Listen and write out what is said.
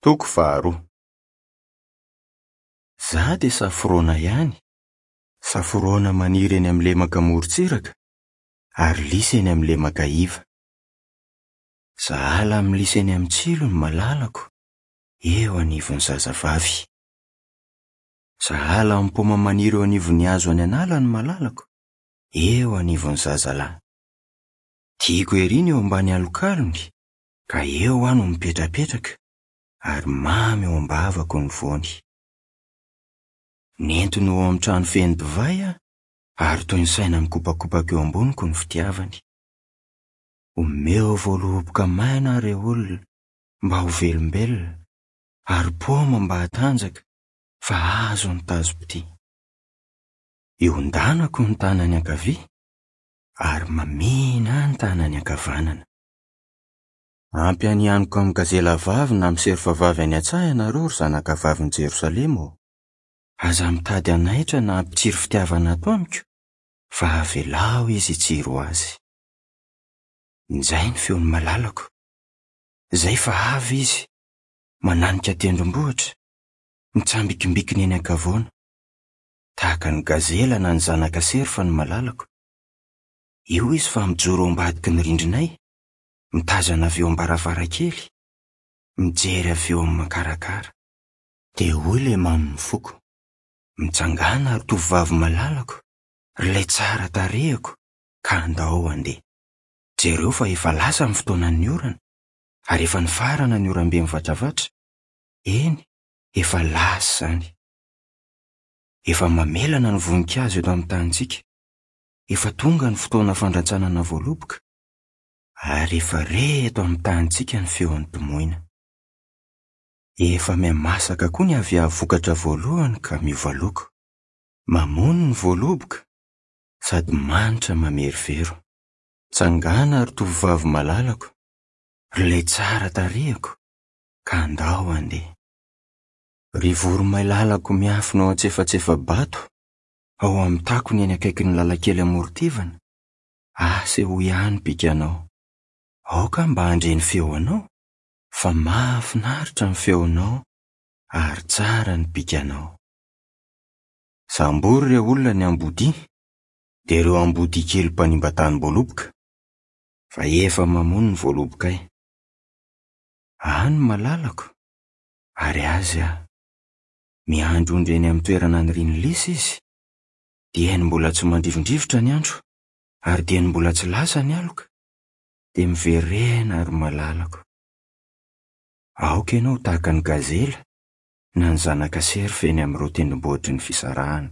Toko faharoa. Za dia safrona ihany, safrona maniry eny amin'ny lemaka morontsiraka ary lisy eny amin'ny lemaka iva. Sahala amin'ny lisy eny amin'ny tsilo ny malalako eo anivon'ny zazavavy. Sahala amin'ny paoma maniry eo anivon'ny hazo any an'ala ny malalako eo anivon'ny zazalahy. Tiako ery ny eo ambany alokalony ka eo aho no mipetrapetraka ary mamy eo am-bavako ny voany. Nentiny ho ao amin'ny trano feno divay aho ary toy ny saina mikopakopaka eo amboniko ny fitiavany. Omeo voaloboka maina aho re olona mba ho velombelona ary paoma mba hatanjaka fa azo ny tazom-pitia. Iondanako ny tanany ankavia ary mamihina ahy ny tanany ankavanana. Ampianianiko amin'ny gazela vavy na amin'ny serfa vavy any an-tsaha ianareo, ry zanakavavin'i Jerosalema ô! Aza mitady hanaitra na hampitsiry fitiavana ato amiko, fa avelao izy hitsiry ho azy. Injay ny feon'ny malalako! Izay fa avy izy, mananika tendrombohitra, mitsambikimbikina eny an-kavoana. Tahaka ny gazela na ny zanaka serfa ny malalako. Io izy fa mijoro ao ambadiky ny rindrinay, mitazana avy eo am-baravarankely, mijery avy eo amin'ny makarakara. Dia hoy ilay mamin'ny foko, Mitsangàna ry tovovavy malalako, ry ilay tsara tarehiko, ka andao handeha. Jereo fa efa lasa ny fotoanan'ny orana, ary efa nifarana ny oram-be mivatravatra, eny, efa lasa izany. Efa mamelana ny voninkazo eto amin'ny tanintsika, efa tonga ny fotoana fandrantsanana voaloboka, Ary efa re eto amin'ny tanintsika ny feon'ny mpimoina. Efa mihamasaka koa ny aviavy vokatra voalohany ka miova loko. Mamono ny voaloboka sady manitra mamerovero. Tsangana ry tovovavy malalako, ry ilay tsara tarehiko, ka andao handeha. Ry voromailalako miafina ao antsefatsefa-bato, ao amin'ny takony eny akaikin'ny lalan-kely amoron-tivana, Asehoy ahy ny bikanao. Aoka aho mba handre ny feonao, fa mahafinaritra ny feonao ary tsara ny bikanao. Sambory ireo olona ny ambodia, dia ireo ambodia kely mpanimba tanim-boaloboka, fa efa mamono ny voalobokay. Ahy ny malalako, ary azy aho. Miandry ondry eny amin'ny toerana anirian'ny lisa izy, dieny mbola tsy mandrivondrivotra ny andro. Ary dieny mbola tsy lasa ny aloka, dia miverena ry malalako. Aoka ianao ho tahaka ny gazela na ny zanaka serfa eny amin'ireo tendrombohitry ny fisarahana.